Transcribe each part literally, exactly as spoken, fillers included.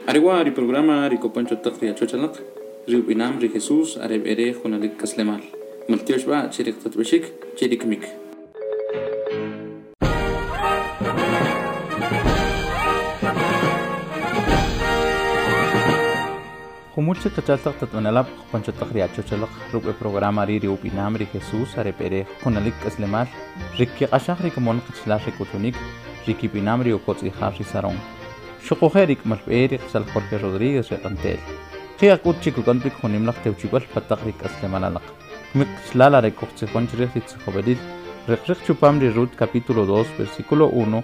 Arewa ri programa ri kopancho taq ri achochalaq ri ub'inam ri Jesús are b'ere junalik kaslemal. Maltiox b'a chirik tatb'ixik chirik mik. Jumul chik qachaltaq tat'unalab' kopancho taq ri achochalaq ruk' programa ri ri ub'inam ri Jesús are b'ere junalik kaslemal ri kiq'axaj ri komon qachalal ri kutunik ri kib'inam ri ukotz'ijar ri Sarón. Xuquje' rik malb'e ri qachal Jorge Rodríguez reqantel. Qiaq ut chikukan pik junimlaq tewchib'al pataq ri kaslemal alaq. Kmik qachalal are kujtzijon chrij ri tzijob'elil riq riq chupam ri Rut capítulo dos versículo uno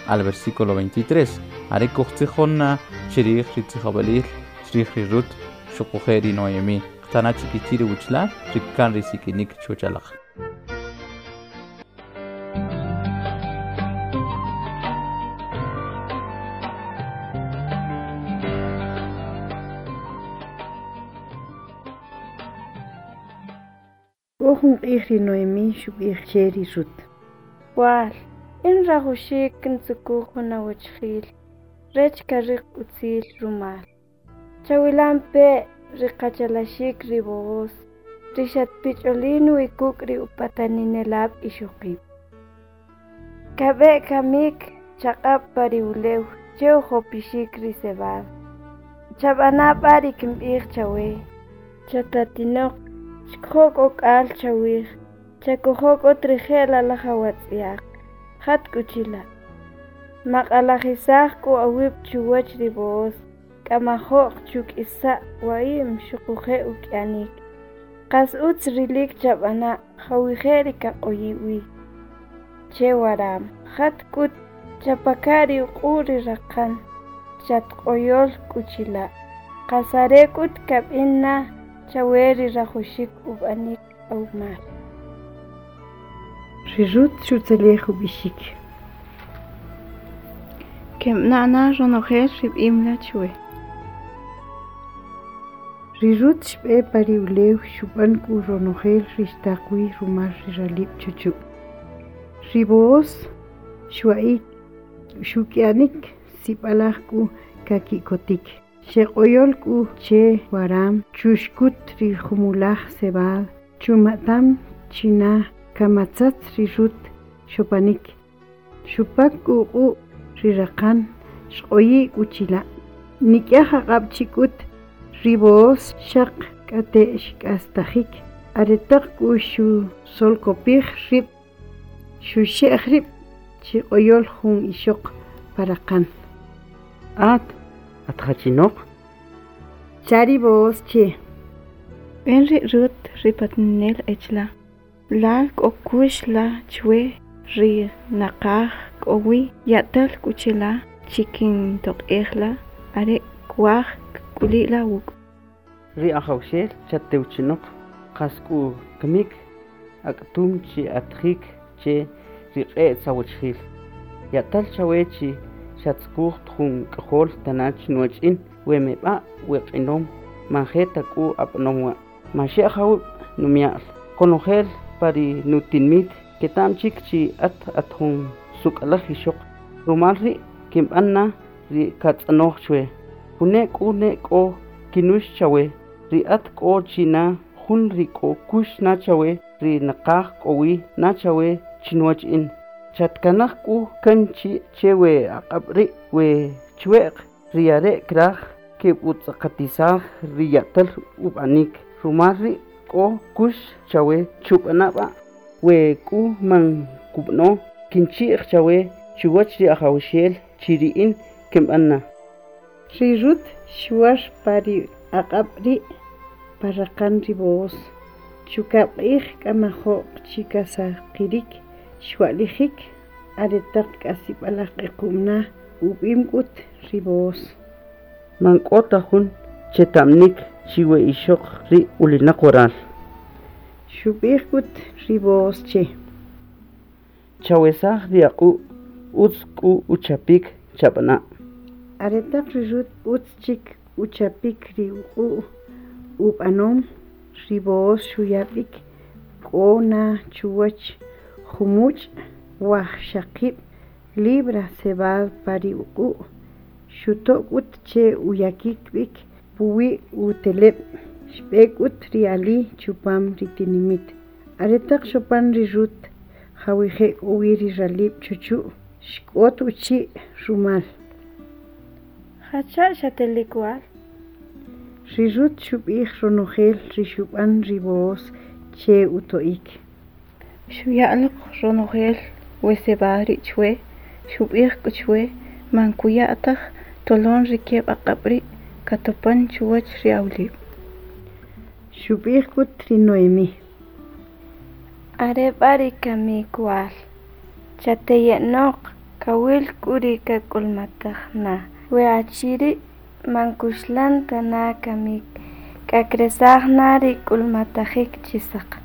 al versículo veintitrés. Are kujtzijon na chrij ri tzijob'elil chrij ri Rut xuquje' ri Noemí. Qtana chikichi ri wuchlal rikkan ri sikinik chochalaq. Jun q'ij ri Noemí xub'ij che ri Rut. Wal, in rajuxik kintzukuj jun awachjil, rech kariq utzil rumal. Chawilampe ri qachalaxik ri Booz, ri xatpich'olin wikuk' ri upataninelab' ixoqib'. Kab'e kamik chaq'ab' pa ri ulew che ujopixik ri cebada. Chab'ana' b'a ri kinb'ij chawe, chatatinoq xk'oq ok'al chawij, chakojoq otrijel alaj awatz'iaq, jat k'uchila. Maq'alajisaj k'u awib' chuwach ri Booz, k'amajo'q chuk'isa' wa'im xuquje' uk'yanik. Qas utz rilik chab'ana' jawije' ri kaq'oyi' wi. Che waram, jat k'ut chapaka' ri uq'u' ri raqan, chatq'oyol k'uchila'. Qas are k'ut kab'in na chawe ri rajuxik ub'anik awmal. Ri Rut xutzelej ub'ixik. Kemna'na ronojel rib'imla chwe. Ri Rut xb'e pa ri ulew xub'an k'u ronojel ri xtaqwi rumal ri ralib' chuchu'. Ri Booz xwa'ik xuk'yanik sib'alaj k'u kaki'kotik. Xeq'oyol k'u che waram chuxkut ri jumulaj cebada chuma'tam china kamatzatz ri Rut xopanik. Xupak k'u uq'u' ri raqan xq'oyi' k'u chila'. Nik'yaj aq'ab' chik'ut ri Booz xaq k'ate' xk'astajik aretaq k'u xusolkopij rib' xuxe'j rib' chiq'oyol jun ixoq pa raqan. At atjachinoq Chari Booz che. Ben ri Rut ri patninel echla. Lal k'o kux la chwe ri naqaj k'o wi ya'tal k'uchila chikin toq'ej la are kwaj k'ulila wuk'. Ri ajawxel chatewchinoq qas k'u kmik ak'tum chi atjik che ri q'e' tzawachjil. Ya'tal chawe chi xatzkuj jun k'ojol tanach nuwach'in we meb'a' we q'inom man je ta k'u ap'nom wa'. Man xe'j awib' numya'l. Konojel pa ri nutinmit keta'm chik chi at at jun suk'alaj ixoq. Rumal ri' kinb'an na ri katz'anoj chwe. June k'u ne k'o kinux chawe ri at k'o china jun ri k'o kux na chawe ri naqaj k'o wi na chawe chinuwach in. Chatkanaj k'u kan chi che we aq'ab' ri' we chwe'q ri are' kraj keb'utz'aqatisaj ri ya'tal ub'anik. Rumal ri' k'o kux chawe chub'ana' b'a' we k'u man kub'ano kinchi'j chawe chuwach ri ajawxel chi ri in kinb'an na. Ri Rut xwar pa ri aq'ab' ri' pa raqan ri Booz. Chukab' q'ij k'amajo'q chikasaqirik xwa'lijik aretaq k'asib'alaj q'equmna ub'im k'ut ri Booz. Man k'o ta jun cheta'mnik chi we ixoq ri ulinaq waral. Xub'ij k'ut ri Booz che. Chawesaj ri aq'u' utz k'u uchapik chab'ana'. Aretaq ri Rut utz chik uchapik ri uq'u' ub'anom ri Booz xuyab'ik k'o na chuwach jumuch' wajxaqib' Libra cebada pa ri uq'u' xuto' k'ut che uyakik b'ik puwi' uteleb' xb'e k'ut ri ali chupam ri tinimit. Aretaq xopan ri Rut jawije' k'o wi ri ralib' chuchu' xk'ot uchi' rumal. Jacha' xatelik wal. Ri Rut xub'ij ronojel ri xub'an ri Booz che uto'ik. Xuya'loq ronojel we cebada ri' chwe, xub'ij k'u chwe man kuya' taj tolon ri keb' aq'ab' ri' katopan chuwach ri awlib'. Xub'ij k'ut ri Noemí. Are b'a ri kamik wal, chateye'noq kawil k'u ri kak'ulmataj na. We achi ri' man kuxlan ta na kamik, k'a kresaj na ri k'ulmatajik chisaq.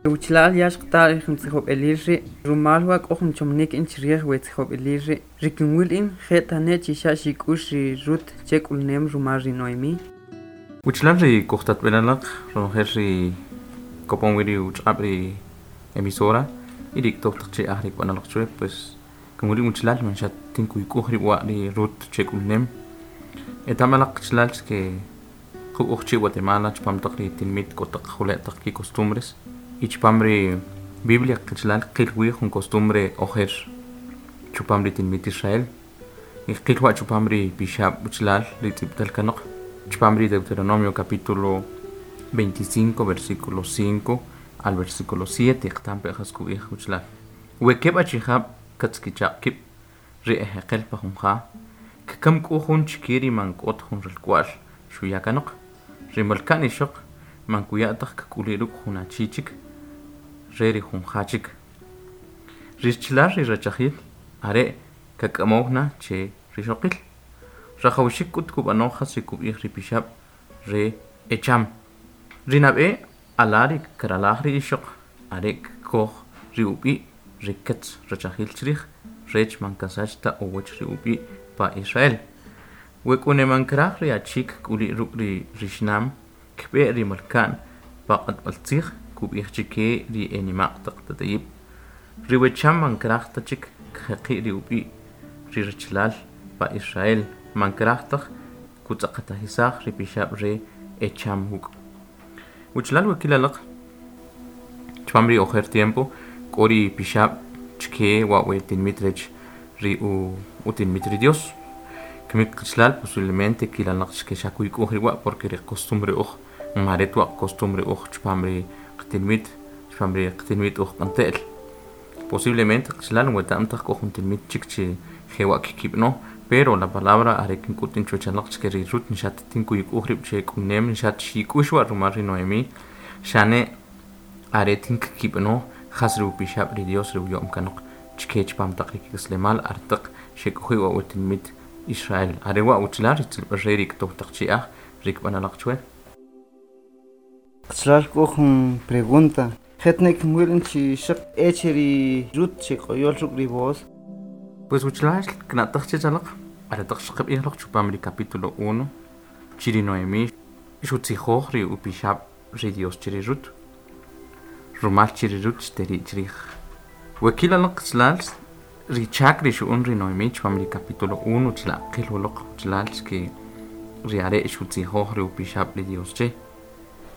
Uchlal yax qta ri tzijob'elil ri' rumal wa k'o jun chomnik in chirij we tzijob'elil ri' ri kinwil in je' tane' chi xa' xik'ux ri Rut che k'ulnem rumal ri Noemí. Uchlal ri kujtatb'elalaq ronojel ri kopon wi ri uch'ab' ri emisora y ri ktoj taq che aj ri k'wanalaq chwe pues kinwil in uchlal man xa tinkuyk'uj ri wa ri Rut che k'ulnem. Etamalaq chlal que qu'uj chi Guatemala chpam taq ri tinmit k'o taq jule' taq ki costumbres y chpam ri Biblia qichlal qil wi jun costumbre ojer chupam ri tinmit Israel y qil wa chupam ri pixab' uchlal ri tz'ib'tal kanoq chupam ri Deuteronomio capítulo veinticinco versículo cinco al versículo siete qtam pe jas kub'ij uchlal we keb' achijab' katzkichaq kib' ri ejeqel pa jun ja kkam k'u jun chike ri man k'ot jun ralk'wa'l xuya kanoq ri malka'n ixoq man kuya' taj kk'uli' ruk' jun achi chik re ri jun ja chik ri chlal ri rachajil are' kak'amow na che rixoqil rajawxik k'ut kub'anoj jas ri kub'ij ri pixab' re echam ri nab'e ala ri karalaj ri ixoq are' kkoj ri ub'i' ri ketz rachajil chrij rech man kasach ta uwach ri ub'i' pa Israel we k'u ne man kraj ri achik k'uli' ruk' ri rixnam kb'e ri malka'n pa q'atb'al tzij kub'ij chike ri enimaq taq tatayib' ri wecham man kraj ta chik kjeqi' ri ub'i' ri rachalal pa Israel man kraj taj kutz'aqatajisaj ri pixab' re echam wuk' uchlal we kilalaq chpam ri ojer tiempo k'o ri pixab' chke wa we tinmit rech ri u utinmit ri Dios kimik qichlal posiblemente kilalaq chke xa kuyk'uj ri wa porque ri costumbre uj maret wa costumbre uj chpam ri qtinmit chpam ri qtinmit uj q'ante'l posiblemente qichlal weta'm taj k'o jun tinmit chik chi jewa kkib'no pero la palabra are kink'ut in chwechalaq chke ri Rut nxat tinkuyk'uj rib' che k'unem nxat xik'ux wa rumal ri Noemí xane are tin kkib'no jas ri upixab' ri Dios ri uyo'm kanoq chke chpam taq ri kik'aslemal artaq xek'uji' wa utinmit Israel are wa uchlal ri tzilb'al re ri ktoj taq chi'aj ri kb'analaq chwe. Qichlal k'o jun pregunta jetne kinwil in chi xaq eche ri Rut che q'oyol ruk' ri Booz. Pues uchlal kna'taj che chalaq aretaq xqab'ij loq chupam ri capítulo uno chiri Noemí xutzijoj ri upixab' ri Dios chiri Rut rumal chiri Rut xteri' chrij we kilalaq qichlal ri chak ri xu'un ri Noemí chupam ri capítulo uno chila' qil uloq qichlal xke ri are' xutzijoj ri upixab' ri Dios che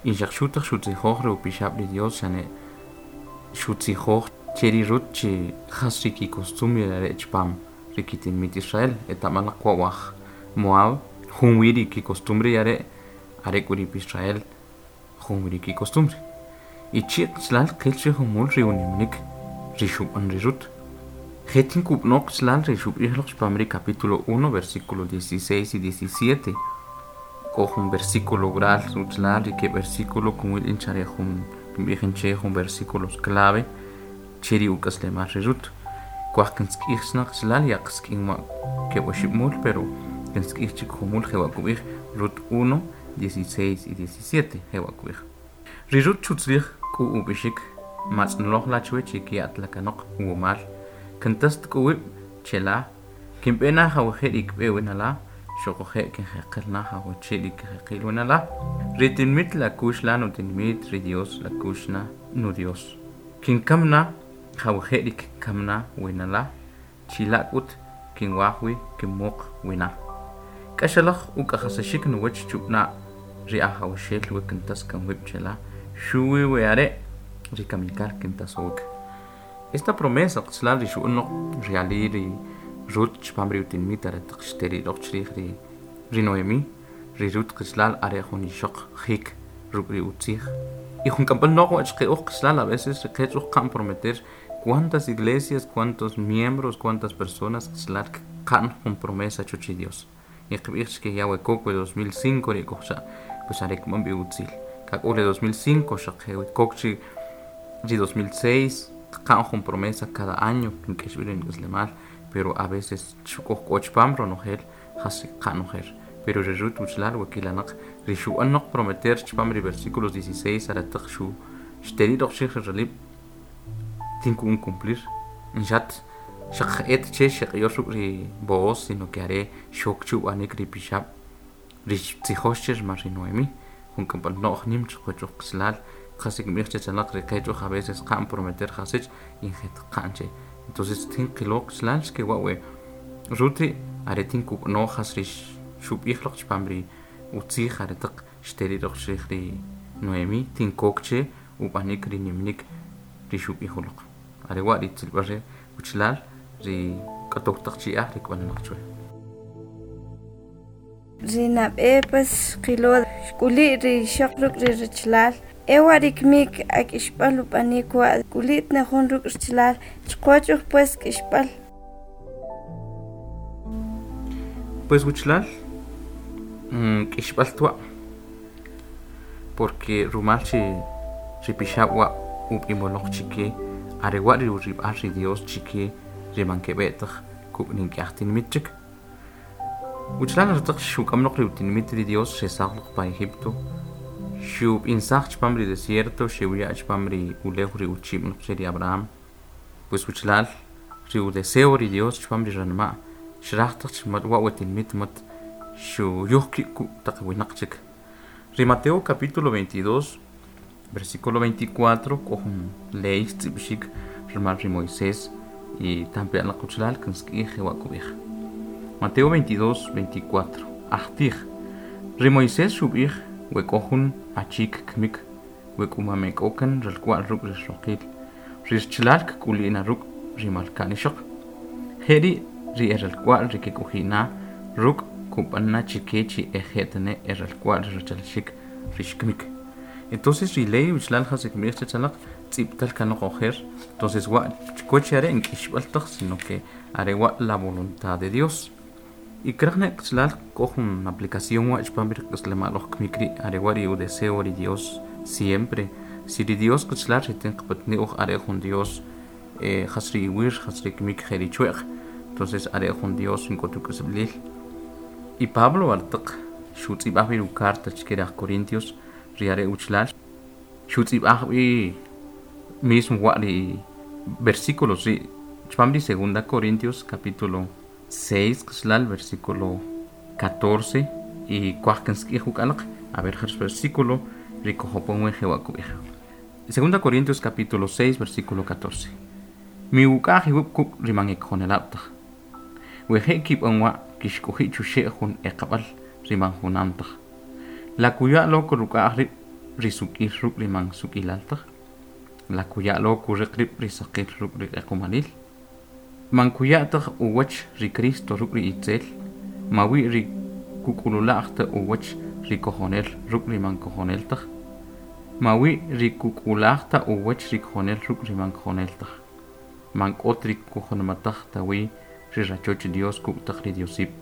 y xaq xutaj xutzijoj ri upixab' ri Dios xane xutzijoj che ri Rut chi jas ri kikostumbre are' chpam ri kitinmit Israel eta'malaq wa waj Moab jun wi ri kikostumbre are' are' k'u ri Israel jun wi ri kikostumbre y chi' qichlal qil chi jumul ri unimnik ri xub'an ri Rut jetin kub'no qichlal ri xub'ij loq chpam ri capítulo uno versículo dieciséis y diecisiete k'o jun versículo oral uchlal ri ke versículo kunwil in chare jun kinb'ij in che jun versículos clave che ri uk'aslemal ri Rut kuaj kinsk'ij xnaq qichlal ya qsk'in wa keb' oxib' mul pero kinsk'ij chik jumul jewa kub'ij Rut uno dieciséis y diecisiete jewa kub'ij ri Rut chutzrij k'u ub'ixik matz'nloj la chwe chi ki'at la kanoq wumal kintast k'uwib' chela kinb'e na jawije' ri kb'e winala xuquje' kinjeqel na jawache' ri kinjeqil winala ri tinmit la kux la nutinmit ri Dios la kux na nu Dios kinkam na jawije' ri kkam na winala Chila' k'ut kinwaj wi kinmuq wina. K'axalaj uk'ajasaxik nuwach chub'na' ri Ajawaxel we kintas kan wib' chela xuwi we are' ri kamikal kintasowik. Esta promesa qachalal ri xu'noq ri ali ri Ruth chpam ri utinmit aretaq xteriroq chrij ri ri Noemí ri Ruth qachalal are jun ixoq jik ruk' ri utzij y jun k'amb'al noq wa chqe uj qachalal a veces ri qech uj qa'n prometer cuántas iglesias, cuántos miembros, cuántas personas qachalal qa'n jun promesa chuch Dios y qb'ij chke ya we kok we dos mil cinco ri kojcha pues are kb'an b'i utzil kak'ul dos mil cinco xaq kok chi ri dos mil seis qa'n jun promesa cada año kink'ex b'i ri nik'aslemal pero a veces xuk'oj k'o chpam ronojel jas qa'n ojer pero ri Ruth uchlal we kilanaq ri xu'anoq prometer chpam ri versículos dieciséis arataq xu xteriroq xij ri ralib' tinkun cumplir nxat xaq et che xeq'yor ruk' ri Booz sino que are xok chub'anik ri pixab' ri tzijox che rmal ri Noemí jun k'amb'al no'j nim chqwach uj qachalal qas ikb'ij che chalaq ri qech uj a veces qa'n prometer jasich y jet qa'n che entonces tin qilo qachalal xke wa we Ruth ri are tin kub'no jas ri xub'ij loq chpam ri utzij aretaq xteriroq chrij ri Noemí tin kok che ub'anik ri nimnik ri xub'ij uloq are wa ri tzilb'al re uchlal ri k'atow taq chi'aj ri k'wananaq chwe. Ri nab'e pues qilo xk'uli' ri ixoq ruk' ri richlal ewa ri kmik ak'ixb'al ub'anik wa k'uli't na jun ruk' richlal chqwach uj pues k'ixb'al. Pues uchlal k'ixb'al twa porque rumal chi ri pixab' wa ub'imoloq chike are wa ri urib'al ri Dios chike ri mankeb'e'taq kuk' nink'aj tinmit chik. Uchlal aretaq xuk'amloq ri utinmit ri Dios xesaj loq pa Egipto xub'insaj chpam ri desierto xewya' chpam ri ulew ri uchib'noq che ri Abraham pues uchlal ri udeseo ri Dios chpam ri ranma' xraj taq chmat wa we tinmit mat xuyuj kib' kuk' taq winaq chik. Ri Mateo capítulo veintidós versículo veinticuatro k'o jun ley tz'ib'xik rmal ri Moisés y tampe alaq uchlal kinsk'ij jewa' kub'ij. Mateo veintidós, veinticuatro Ajtij ri Moisés xub'ij we k'o jun achik kmik we k'umame k'o kan ralk'wa'l ruk' ri roqil ri richlal kk'uli'na ruk' ri malka'n ixoq jeri' ri e ralk'wa'l ri kek'uji'na ruk' kub'anna chike chi eje'tane e ralk'wa'l ri rachalxik ri xkmik. Entonces ri ley uchlal jas kmij che chalaq tz'ib'tal kanoq ojer entonces wa chkoch are nk'ixb'al taq sino que are wa la voluntad de Dios y kraj ne qachalal k'o jun aplicación wa chpam ri k'aslemal oj kmik ri' are wa ri udeseo ri Dios siempre si ri Dios qachalal ri tin qpatni uj are jun Dios eh, jas ri iwir jas ri kmik je ri chwe'q entonces are jun Dios nk'otu k'asb'lil y Pablo aretaq xutz'ib'aj b'i carta chke ri aj Corintios ri are uchlal xutz'ib'aj b'i mismo wa ri versículos ri chpam ri segunda Corintios capítulo seis qachalal versículo catorce y kuaj kinsk'ij uk'alaq a ver jar versículo ri kojopon wi jewa' kub'ij. Segunda Corintios capítulo seis versículo catorce Mi uk'aj iwib' kuk' ri man ikjonelab' taj we je' kib'an wa kixk'oji' chuxe' jun eqab'al ri man junam taj la kuya' lo kuruk'aj rib' ri suk'il ruk' ri man suk'ilal taj la kuya' lo kuriq rib' ri saqil ruk' ri q'equmalil man kuya' taj uwach ri Cristo ruk' ri itzel mawi ri kuk'ulula'j ta uwach ri kojonel ruk' ri man kojonel taj mawi ri kuk'ulaj ta uwach ri kojonel ruk' ri man kojonel taj man k'ot ri kujonomataj tawi ri rachoch Dios kuk' taq ri Diosib'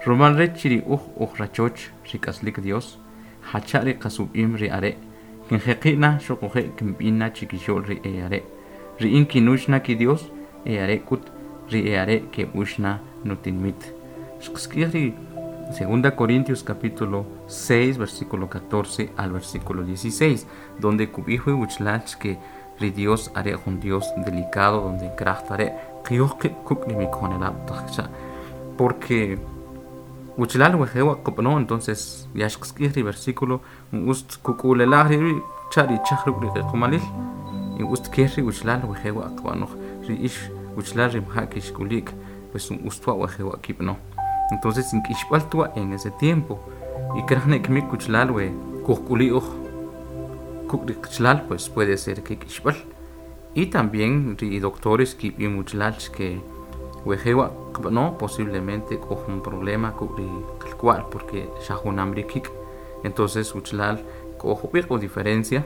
rumal rech chi ri uj uj rachoch ri k'aslik Dios jacha' ri qasub'im ri are' kinjeqi'na xuquje' kinb'inna chikixo'l ri e are' ri in kinuxna ki Dios e are' k'ut ri e are' keb'uxna nutinmit. Xqsk'ij ri Segunda Corintios capítulo seis versículo catorce al versículo dieciséis donde kub'ij wi uchlal que ri Dios are jun Dios delicado donde kraj are' qiyuj qib' kuk' ri mikjonelab' taq cha porque uchlal we jewa' qub'no entonces ya xqsk'ij ri versículo ust kuk'ulelaj ri cha ri chaj ruk' ri q'equmalil y ust ker ri uchlal we jewa' qb'anoj ri ix Uchlal ri mja kixk'ulik pues un ustwa wajewa kib'no. Entonces ink'ixb'al tuwa en ese tiempo y krajne kmik uchlal we kujk'uli uj kuk ri qchlal pues puede ser que k'ixb'al y también ri doctores kib'im uchlal que wejewa qb'ano posiblemente k'o jun problema kuk ri qalk'wal porque xa junam ri kik'. Entonces uchlal k'o jub'iq o diferencia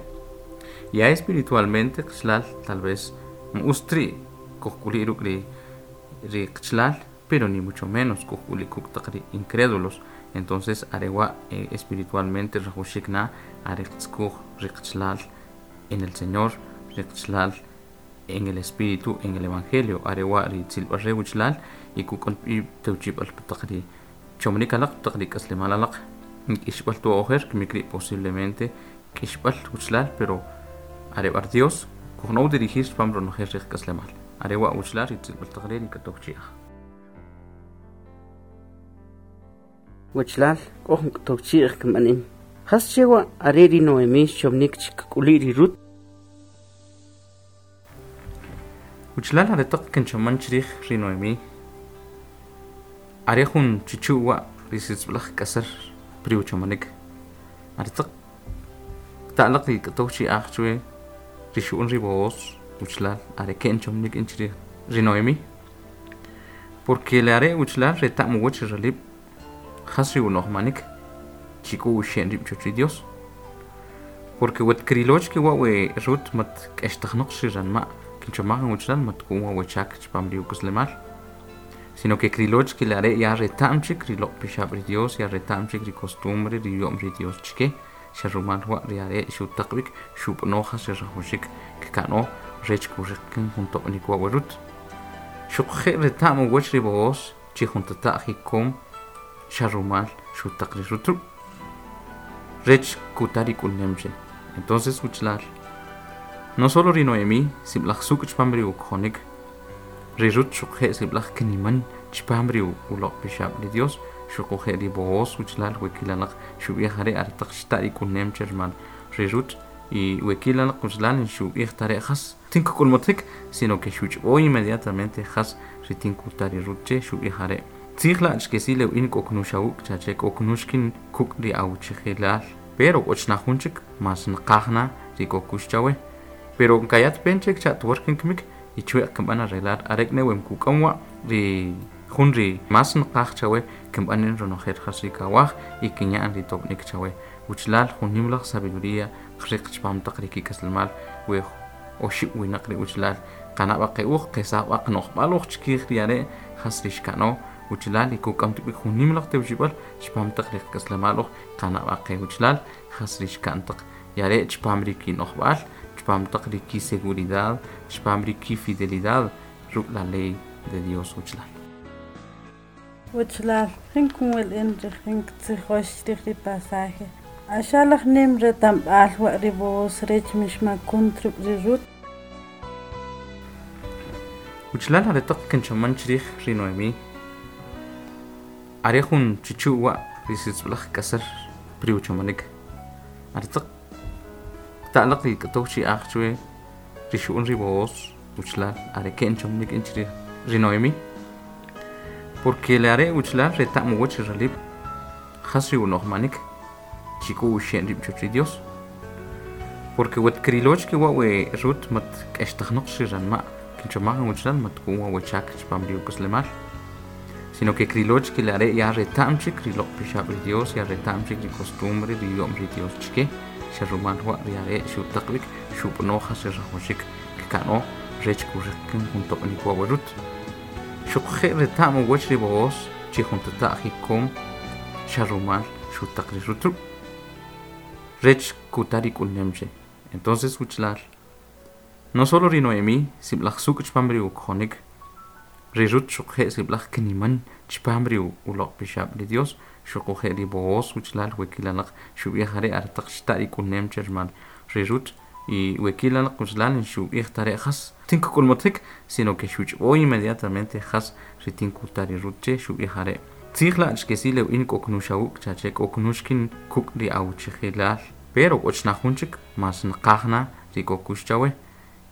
ya espiritualmente qchlal tal vez ustri kujk'uli ruk' ri ri qchlal pero ni mucho menos kujk'uli kuk' taq ri incrédulos. Entonces arewa eh, espiritualmente rajuxik na are qtzkuj ri qchlal en el Señor, ri qchlal en el Espíritu, en el Evangelio, arewa ri tzilb'al re uchlal y kuk'on y tewchib'al taq ri chomnik alaq taq ri k'aslemal alaq k'ixb'al tu ojer kmik ri' posiblemente k'ixb'al uchlal pero arebar Dios kujnow dirigir pam ronojel ri k'aslemal arewa uchlal ri tzilb'al taq ri k'atowchi'aj. Wachlal k'o jun k'atowchi'aj k'amanin jas chewa are ri Noemí xchomnik chik'uli ri Rut. Uchlal aretaq kinchoman chrij ri Noemí are jun chichuwa ri sitzb'laj k'asar pri uchomanik aretaq ta'laq ri k'atowchi'aj chwe ri xu'un ri Booz uchlal are ke'n chomnik in chrij ri Noemí porque le are uchlal reta'm uwach ralib' jas ri unojmanik chik'u uxe'n rib' choch ri Dios porque wet kriloch ke wa we Rut mat k'extajnoq xi ranma' kinchomaj uchlal mat k'u wa chak chpam ri uk'aslemal sino que kriloch ke le are ya reta'm chik ri loq' pixab' ri Dios ya reta'm chik ri costumbre ri yo'm ri Dios chike xa rumal wa ri are xutaqb'ik xub'ano jas ri rajuxik kka'no rech kuriqen jun toq'nik wa we Rut xuqje' reta'm uwach ri Booz chi jun tata'j jikom xa rumal xutaq ri Rut rech kuta ri k'ulnem che. Entonces uchlal no solo ri Noemí sib'laj suk' chpam ri ukjonik ri Rut xuqje' sib'laj kiniman chpam ri uloq' pixab' ri Dios xuquje' ri Booz uchlal we kilalaq xub'ij are aretaq xta' ri k'ulnem che rmal ri Rut y we kilalaq uchlal xub'ij tare jas tin k'ulmotik sino que xuch'b'o inmediatamente jas ri tin kuta ri Rut che xub'ij are tzij la' chkesi lew'in k'oknuxawuk chache k'oknuxkin kuk' ri awchijilal pero k'ochna jun chik mas nqajna ri k'okux chawe pero nkayat pen chik cha twerkin kmik y chwe'q kinb'an arreglar arek ne wem kuk'amwa ri jun ri mas nqaj chawe kinb'an ronojel jas ri kawaj y kinya'an ri tob'nik chawe uchlal jun nimlaj sabiduría qriq chpam taq ri kik'aslemal we oxib' winaq ri uchlal qanab'a qe'uj qesab'a qno'jb'al uj chkij ri are' jas ri xka'no uchlal y kuk'am tib'ik jun nimlaj tewchib'al chpam taq ri k'aslemal uj qanab'a qe uchlal jas ri xka'n taq yare' chpam ri kino'jb'al chpam taq ri kiseguridad chpam ri kifidelidad ruk' la ley de Dios uchlal. Uchlal jin kunwil in ri jin ktzijox chrij ri pasaje axalaj nim retamb'al wa ri Booz rech mixmakun ruk' ri Rut. Uchlal aretaq kinchoman chrij ri Noemí are jun chichuwa ri sitzb'laj k'asar pri uchomanik aretaq ta'laq ri k'atowchi'aj chwe ri xu'un ri Booz uchlal are ke'n chomnik in chrij ri Noemí porque le are uchlal reta'm uwach ri ralib' jas ri unojmanik chik'u uxe'n rib' choch ri Dios porque wet kriloch ke wa we Rut mat k'extajnoq xi ranma' kinchomaj uchlal mat k'u wa we chak chpam ri uk'aslemal sino que kriloch ke le are ya reta'm chik ri loq' pixab' ri Dios ya reta'm chik ri costumbre ri yo'm ri Dios chike xa rumal wa ri are' xutaqb'ik xub'ano jas ri rajuxik kka'no rech kuriqen jun toq'nik wa we Rut xuqje' reta'm uwach ri Booz chi jun tata'j jikom xa rumal xutaq ri Rut rech kuta ri k'ulnem che. Entonces uchlal no solo ri Noemí sib'laj suk' chpam ri ukjonik ri Rut xuqje' sib'laj kiniman chpam ri uloq' pixab' ri Dios xuquje' ri Booz uchlal we kilalaq xub'ij are aretaq xta' ri k'ulnem che rmal ri Rut y we kilalaq uchlal xub'ij tare jas tin k'ulmotik sino que xuch'b'o inmediatamente jas ri tin kuta ri Rut che xub'ij are' tzij la' chkesi lew'in k'oknuxawuk chache k'oknuxkin kuk' ri awchijilal pero k'ochna jun chik mas nqajna ri k'okux chawe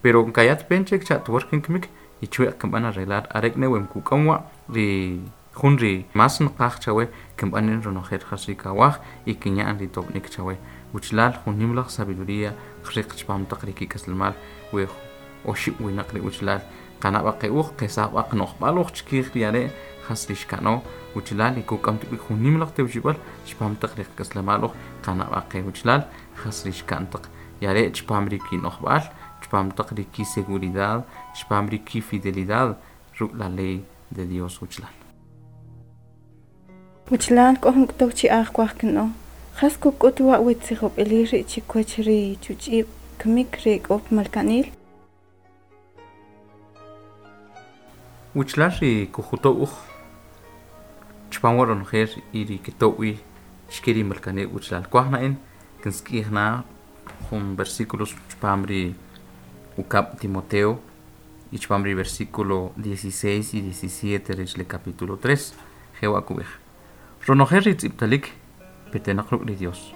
pero nkayat pen chik cha twerkin kmik Y chwe'q kinb'an arreglar are' ne we kuk'am wa ri jun ri mas nqaj chawe kinb'an in ronojel jas ri kawaj y kinya'an ri tob'nik chawe uchlal jun nim laj sabiduría qriq chpam taq ri kik'aslemal we oxib' winaq ri uchlal qanab'a qe'uj qesaj b'a qno'jb'al uj chkij ri are' jas ri xka'no uchlal y kuk'am tib'ik jun nim laj tewchib'al chpam taq ri qak'aslemal uj qanab'a qe uchlal jas ri xka'n taq y are' chpam ri kino'jb'al chpam taq ri kiseguridad chpam ri kifidelidad ruk' la ley de Dios uchlal. Uchlal k'o jun k'utuw chi'aj kuaj kin'o jas kuk'ut wa we tzijob'elil ri' chikwach ri chuch'ib' kmik ri k'o malka'nil. Uchlal ri kujuto' uj chpam wa ronojel y ri kito'w wi xke ri malkanib' uchlal kuaj na'in kinsk'ij na jun versículos chpam ri ukab' Timoteo y chpam ri versículo dieciséis y diecisiete rech le capítulo tres jewa' kub'ij ronojel ri tz'ib'talik petenaq ruk' ri Dios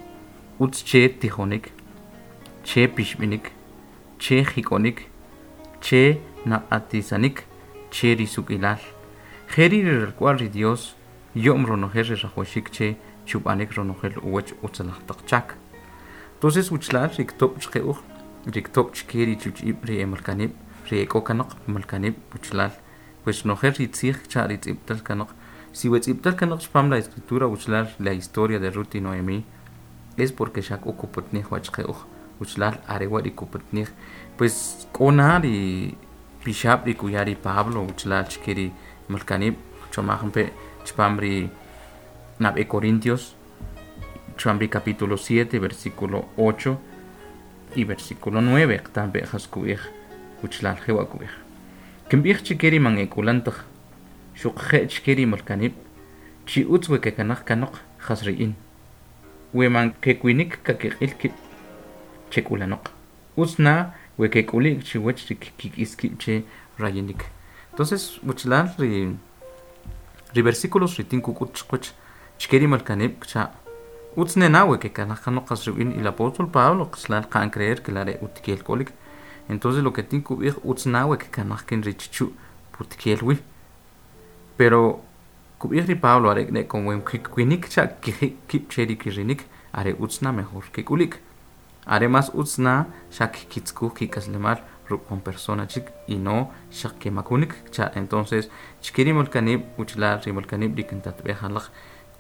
utz che tijonik che pixb'inik che jik'onik che naq'atisanik che ri suk'ilal jeri ri ralk'wa'l ri Dios yo'm ronojel ri rajwaxik che chub'anik ronojel uwach utzalaj taq chak. Entonces uchlal ri ktob' chqe uj ri ktob' chke ri chuch'ib' ri emalkanib' ri ek'o kanoq malkanib' uchlal pues nojel ri tzij cha ri tz'ib'tal kanoq si we tz'ib'tal kanoq chpam la escritura uchlal la historia de Ruth y Noemí es porque xa k'o kupatnij wa chqe uj uchlal are wa ri kupatnij pues k'o na ri pixab' ri kuya ri Pablo uchlal chke ri malkanib' chomaj pe chpam ri nab'e Corintios chpam ri capítulo siete versículo ocho y versículo nueve qtampe jas kub'ij uchlal jewa' kub'ij kinb'ij chike ri man ek'ulan taj xuqje' chke ri malkanib' chi utz we kekanaj kanoq jas ri in we man kekuinik kakiq'il kib' chek'ulanoq utz na we kek'ulik chiwach ri kik'is kib' che rayinik. Entonces uchlal ri ri versículos ri tin kuk'ut chqwach chke ri malkanib' cha utz nena we kekanaj kanoq jas ri in el apóstol Pablo qchlal qa'an creer que la re utkiel k'olik. Entonces lo que tin kub'ij utz na we kekanaj kin ri chichu' putkiel wi pero kub'ij ri Pablo are ne con we kikuinik cha kiji' kib' che ri kirinik are utz na mejor kek'ulik are mas utz na xa kitzkuj kik'aslemal ruk' jun persona chik y no xaq kemakunik cha entonces chke ri malkanib' uchlal ri malkanib' ri kintatb'ej alaq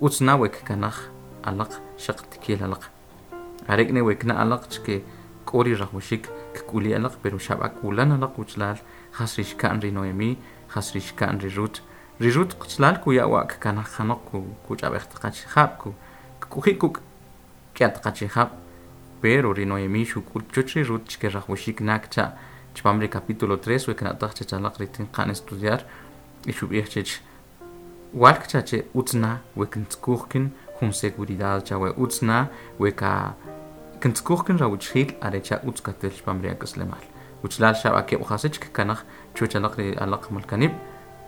utz na we kekanaj alaq xaq tkiel alaq are ne we kna alaq chke k'o ri rajwaxik kk'uli alaq pero xab'a k'ulan alaq uchlal jas ri xka'n ri Noemí jas ri xka'n ri Ruth ri Ruth qchlal kuya' wa kkanaj kanoq kuch'ab'ej taq achijab' ku kk'uji' kuk' k'ya taq achijab' pero ri Noemí xuk'ut chuch ri Ruth chke rajwaxik nak cha chpam ri capítulo tres we kna'taj chech alaq ri tin qa'n estudiar y xub'ij chech wal kcha che utz na we kintzkuj kin jun seguridad cha we utz na we ka kintzkuj kin rawuchjil are cha utz katel chpam ri ak'aslemal uchlal xab'a keb' jasich kkanaj chuch alaq ri alaq malkanib'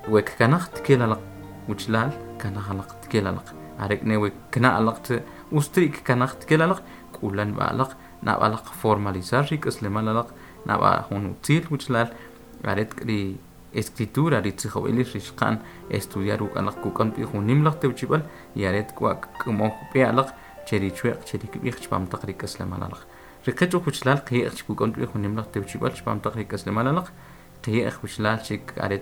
we kkanaj tkel alaq uchlal kanaj alaq tkel alaq are ne we kna alaq te ustri kkanaj tkel alaq k'ulan b'a alaq nab' alaq formalizar ri k'aslemal alaq nab'a jun utzil uchlal are ri escritura ri tzijob'elil ri xqa'n estudiar ruk' alaq kuk'am b'i jun nim laj tewchib'al y are k'wa k'amoj b'e alaq che ri chwe'q che ri kb'ij chpam taq ri k'aslemal alaq ri qech uj uchlal qi'ej kuk'am b'i jun nim laj tewchib'al chpam taq ri k'aslemal alaq qi'ej uchlal chik are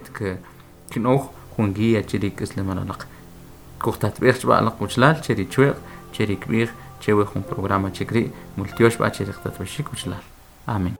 kin'oj jun guía che ri k'aslemal alaq kujtatb'ej chb'a alaq uchlal che ri chwe'q che ri kb'ij che we jun programa chik ri' multiox b'a che ri qtatb'exik uchlal. Amén.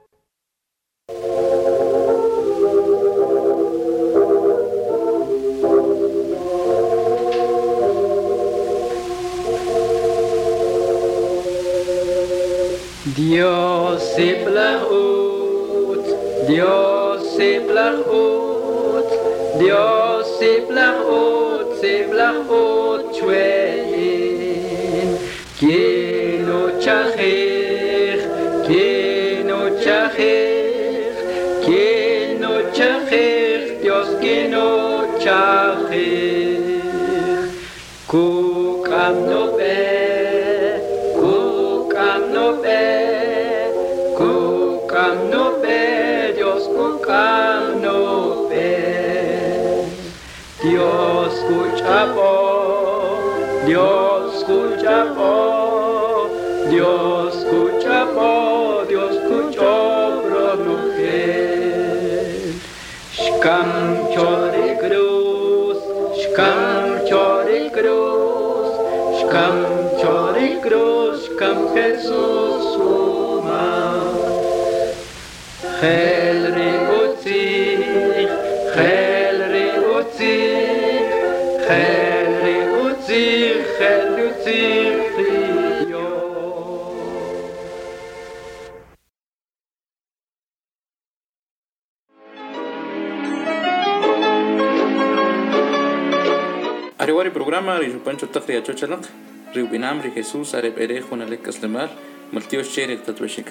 Dios siblah ut, Dios siblah ut, Dios siblah ut, siblah ut chwein. Kino chachich, kino chachich, kino chachich, Dios kino chachich. Kuk am no be, kuk am no be, kuk am no be, Dios kuk am no be. Dios kuch'ab'o, Dios kuch'ab'o, Dios kuch'ab'o, Dios kuch'ob'ro nojel. Xkam cho ri cruz, xkam cho ri cruz, xkam cho ri cruz, xkam Jesús umal. Gel ri utzij, gel ri utzij, gel ri utzij, gel ri utzij ri Dios. Ariwari programa ri xupan chotaq ri achochalaq ri ub'inam ri Jesús are b'ere junalik k'aslemal maltiox che ri tatwexik.